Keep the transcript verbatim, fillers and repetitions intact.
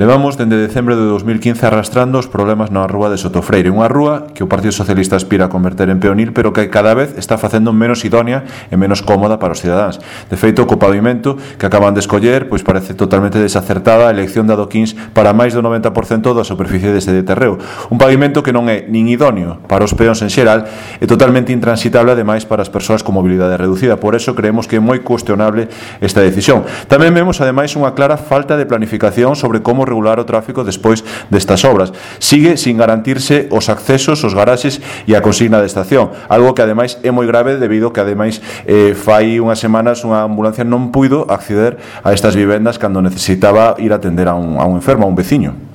Levamos dende decembro de dos mil quince arrastrando os problemas na rúa de Sotofreire, unha rúa que o Partido Socialista aspira a converter en peonil, pero que cada vez está facendo menos idónea e menos cómoda para os cidadáns. De feito, co pavimento que acaban de escoller, pois parece totalmente desacertada a elección de adoquíns para máis do noventa por cento da superficie deste de terreo. Un pavimento que non é nin idóneo para os peóns en xeral e totalmente intransitable ademais para as persoas con mobilidade reducida. Por eso creemos que é moi cuestionable esta decisión. Tamén vemos ademais unha clara falta de planificación sobre como regular o tráfico despois destas obras. Sigue sin garantirse os accesos, os garaxes e a consigna de estación, algo que ademais é moi grave debido que ademais eh, fai unhas semanas unha ambulancia non puido acceder a estas vivendas cando necesitaba ir a atender a un, a un enfermo, a un veciño.